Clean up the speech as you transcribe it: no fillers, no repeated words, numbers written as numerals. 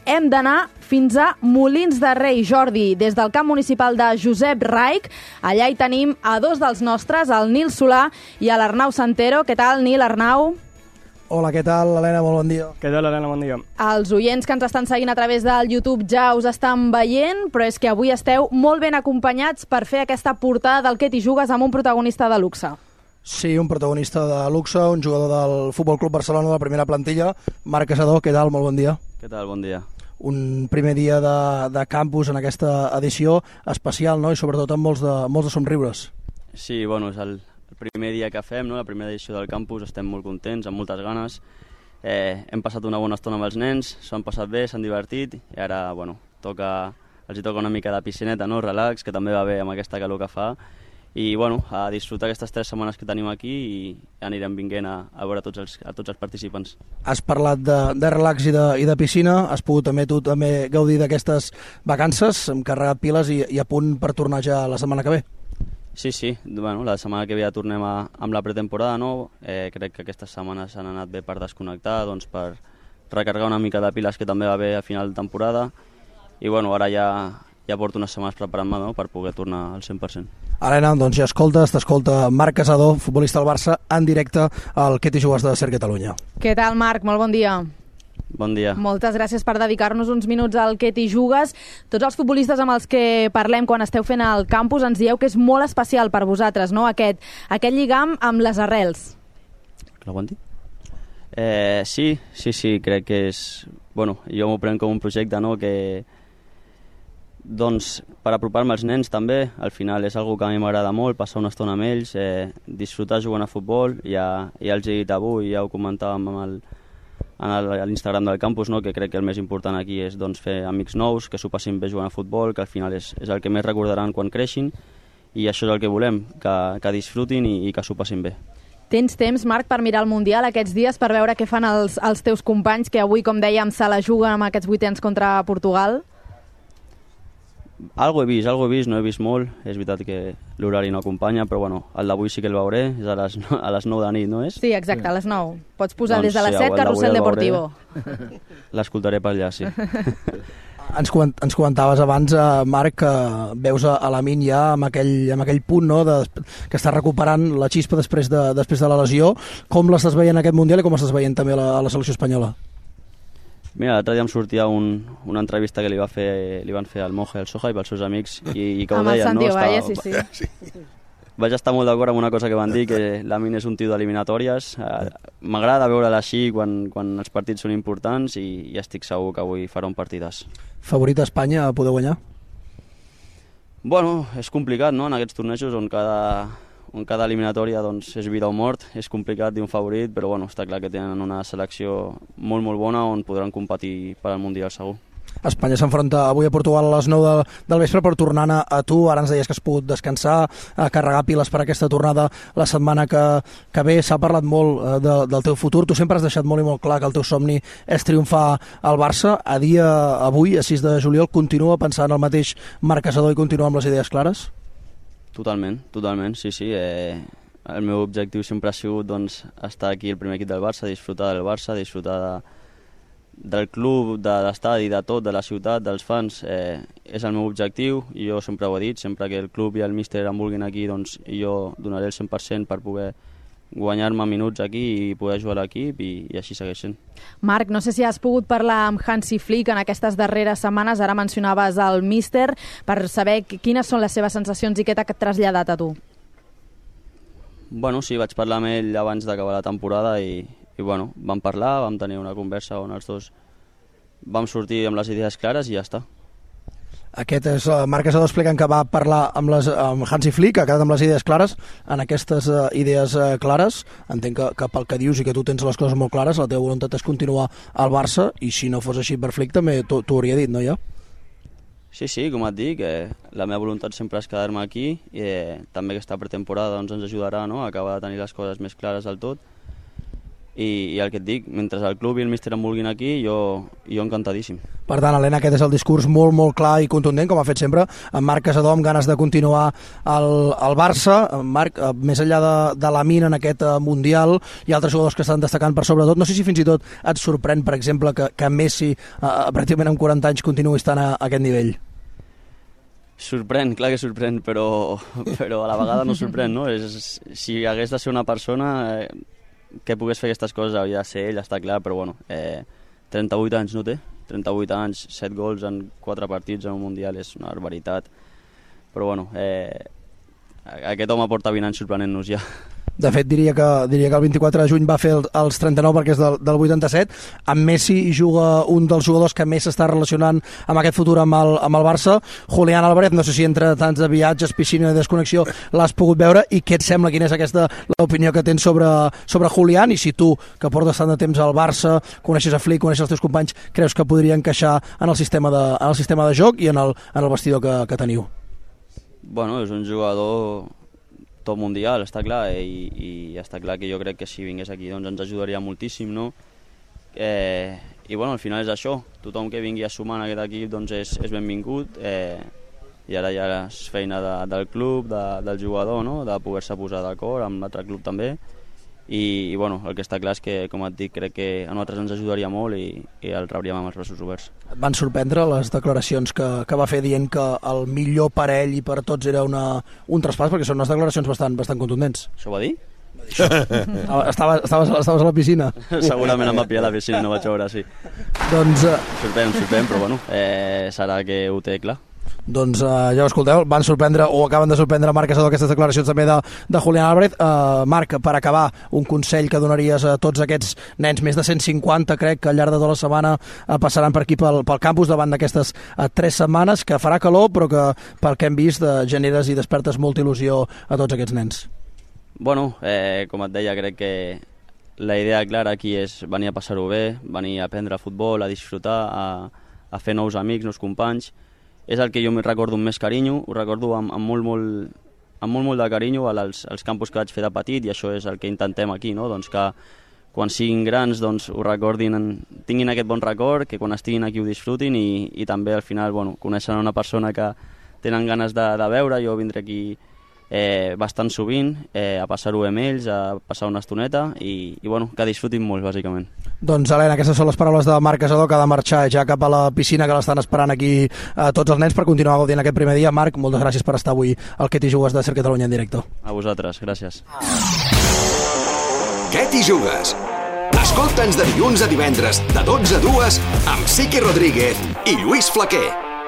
hem d'anar fins a Molins de Rei, Jordi, des del camp municipal de Josep Raich. Allà hi tenim a dos dels nostres, el Nil Solà i l'Arnau Santero. Què tal, Nil, Arnau? Hola, què tal, Helena? Molt bon dia. Què tal, Helena? Bon dia. Els oients que ens estan seguint a través del YouTube ja us estan veient, però és que avui esteu molt ben acompanyats per fer aquesta portada del Què t'hi jugues amb un protagonista de luxe. Sí, un protagonista de luxe, un jugador del Futbol Club Barcelona de la primera plantilla, Marc Casador. Què tal? Molt bon dia. Què tal? Bon dia. Un primer dia de campus en aquesta edició especial, no? I sobretot amb molts de somriures. Sí, bueno, és el primer dia que fem, no? La primera edició del campus, estem molt contents, amb moltes ganes. Hem passat una bona estona amb els nens, s'ho han passat bé, s'han divertit, i ara, bueno, els hi toca una mica de piscineta, no? Relax, que també va bé amb aquesta calor que fa. I, bueno, a disfrutar aquestes 3 setmanes que tenim aquí i anirem vinguent a veure tots els participants. Has parlat de relax i de piscina, has pogut també gaudir d'aquestes vacances, hem carregat piles i a punt per tornar ja la setmana que ve. Sí, bueno, la setmana que ve ja tornem amb la pretemporada, no? Crec que aquestes setmanes han anat bé per desconnectar, doncs per recarregar una mica de piles, que també va bé a final de temporada, i bueno, ara ja porto unes setmanes preparant-me, no?, per poder tornar al 100%. Helena, doncs ja t'escolta Marc Casador, futbolista del Barça, en directe al Què t'hi jugues de Ser Catalunya. Què tal, Marc? Molt bon dia. Bon dia. Moltes gràcies per dedicar-nos uns minuts al Què t'hi jugues. Tots els futbolistes amb els que parlem quan esteu fent el campus ens dieu que és molt especial per vosaltres, no?, aquest lligam amb les arrels. Que l'aguanti? Sí, crec que és... Bueno, jo m'ho prenc com un projecte, no?, que... Doncs per apropar-me als nens també, al final és algo que a mi m'agrada molt, passar una estona amb ells, disfrutar jugant a futbol. Ja els he dit avui, ja ho comentàvem a l'Instagram del campus, no?, que crec que el més important aquí és doncs, fer amics nous, que s'ho passin bé jugant a futbol, que al final és el que més recordaran quan creixin, i això és el que volem, que disfrutin i que s'ho passin bé. Tens temps, Marc, per mirar el Mundial aquests dies, per veure què fan els teus companys, que avui, com dèiem, se la juguen amb aquests 8ens contra Portugal? Algo he vist, no he vist molt. És veritat que l'horari no acompanya, però bueno, el d'avui sí que el veuré, és a les 9 de nit, no és? Sí, exacte, a les 9. Pots posar doncs, des de les 7, Carrusel Deportivo. L'escoltaré per allà, sí. Ens comentaves abans, Marc, que veus a Lamine ja amb aquell punt, no?, que està recuperant la xispa després de la lesió. Com l'estàs veient aquest Mundial i com estàs veient també a la selecció espanyola? Mira, l'altre dia em sortia una entrevista que li van fer al Monje, al Soja i pels seus amics, i que ho deien, no? Sí. Vaig estar molt d'acord amb una cosa que van dir, que Lamine és un tio d'eliminatòries. M'agrada veure-la així quan els partits són importants, i estic segur que avui farà un partidàs. Favorit a Espanya a poder guanyar? Bueno, és complicat, no?, en aquests tornejos on cada eliminatòria doncs, és vida o mort, és complicat dir un favorit, però bueno, està clar que tenen una selecció molt, molt bona on podran competir per al Mundial segur. Espanya s'enfronta avui a Portugal a les 9 del vespre, per tornar a tu. Ara ens deies que has pogut descansar, carregar piles per aquesta tornada la setmana que ve. S'ha parlat molt del teu futur. Tu sempre has deixat molt i molt clar que el teu somni és triomfar al Barça. A dia avui, a 6 de juliol, continua pensant el mateix Marc Casador i continua amb les idees clares? Totalment, sí. El meu objectiu sempre ha sigut doncs, estar aquí al primer equip del Barça, disfrutar del Barça, disfrutar del club, de l'estadi, de tot, de la ciutat, dels fans. És el meu objectiu, i jo sempre ho he dit, sempre que el club i el míster em vulguin aquí, doncs jo donaré el 100% per poder guanyar-me minuts aquí i poder jugar a l'equip, i així segueix sent. Marc, no sé si has pogut parlar amb Hansi Flick en aquestes darreres setmanes, ara mencionaves el míster, per saber quines són les seves sensacions i què t'ha traslladat a tu. Bueno, sí, vaig parlar amb ell abans d'acabar la temporada i bueno, vam parlar, vam tenir una conversa on els dos vam sortir amb les idees clares i ja està. Aquest és Marc Casador explicant que va parlar amb Hansi Flick, ha quedat amb les idees clares. En aquestes idees clares, entenc que pel que dius i que tu tens les coses molt clares, la teva voluntat és continuar al Barça, i si no fos així per Flick també t'ho hauria dit, no, ja? Sí, com et dic, la meva voluntat sempre és quedar-me aquí, i també aquesta pretemporada doncs, ens ajudarà, no?, a acabar de tenir les coses més clares del tot. i el que et dic, mentre el club i el míster em vulguin aquí, jo encantadíssim. Per tant, Helena, aquest és el discurs molt, molt clar i contundent, com ha fet sempre, en Marc Casador, amb ganes de continuar al Barça. Marc, més enllà de la mina en aquest Mundial, hi ha altres jugadors que estan destacant per sobretot. No sé si fins i tot et sorprèn, per exemple, que Messi, pràcticament amb 40 anys, continuï estant a aquest nivell. Sorprèn, clar que sorprèn, però a la vegada no sorprèn, no? Si hagués de ser una persona que pogués fer aquestes coses, hauria de ser ell, està clar, però bueno, 38 anys no té? 38 anys, 7 gols en 4 partits en un Mundial és una barbaritat, però bueno, aquest home porta 20 anys sorprenent-nos ja. De fet, diria que el 24 de juny va fer els 39 perquè és del 87. Amb Messi juga un dels jugadors que més s'està relacionant amb aquest futur amb el Barça, Julián Álvarez. No sé si entre tants de viatges, piscina i desconnexió l'has pogut veure, i què et sembla, quina és l'opinió que tens sobre Julián, i si tu, que portes tant de temps al Barça, coneixes a Flick, coneixes els teus companys, creus que podria encaixar en el sistema de joc i en el vestidor que teniu? Bueno, és un jugador top mundial, està clar, i està clar que jo crec que si vingués aquí doncs ens ajudaria moltíssim, no? I bueno, al final és això, tothom que vingui a sumar en aquest equip doncs és benvingut, i ara ja és feina del club, del jugador, no? De poder-se posar d'acord amb l'altre club també, i bueno, el que està clar és que, com et dic, crec que a nosaltres ens ajudaria molt i el rebríem amb els braços oberts. Et van sorprendre les declaracions que va fer dient que el millor per ell i per tots era un traspàs, perquè són unes declaracions bastant contundents? Això ho va dir? Estaves a la piscina? Segurament em va pillar a la piscina, no vaig veure, sí. Doncs... Sorprèn, però bueno, serà que ho té clar. Doncs ja ho escolteu, van sorprendre o acaben de sorprendre Marc Casador aquestes declaracions també de Julián Álvarez. Marc, per acabar, un consell que donaries a tots aquests nens, més de 150 crec que al llarg de tota la setmana passaran per aquí pel campus davant d'aquestes 3 setmanes, que farà calor però que pel que hem vist generes i despertes molta il·lusió a tots aquests nens. Bueno, com et deia, crec que la idea clara aquí és venir a passar-ho bé, venir a aprendre futbol, a disfrutar, a fer nous amics, nous companys. És el que jo recordo amb més carinyo, ho recordo amb molt de carinyo als campus que vaig fer de petit, i això és el que intentem aquí, no? Doncs que quan siguin grans doncs, ho recordin, tinguin aquest bon record, que quan estiguin aquí ho disfrutin, i també al final coneixen una persona que tenen ganes de veure. Jo vindré aquí bastant sovint a passar-ho amb ells, a passar una estoneta i que disfrutin molt, bàsicament. Doncs, Helena, aquestes són les paraules de Marc Casador, que ha de marxar ja cap a la piscina, que l'estan esperant aquí tots els nens per continuar gaudint aquest primer dia. Marc, moltes gràcies per estar avui al Què t'hi jugues de Ser Catalunya en directe. A vosaltres, gràcies. Què t'hi jugues? Escolta'ns de dilluns a divendres de 12 a 2 amb Siqui Rodríguez i Lluís Flaquer.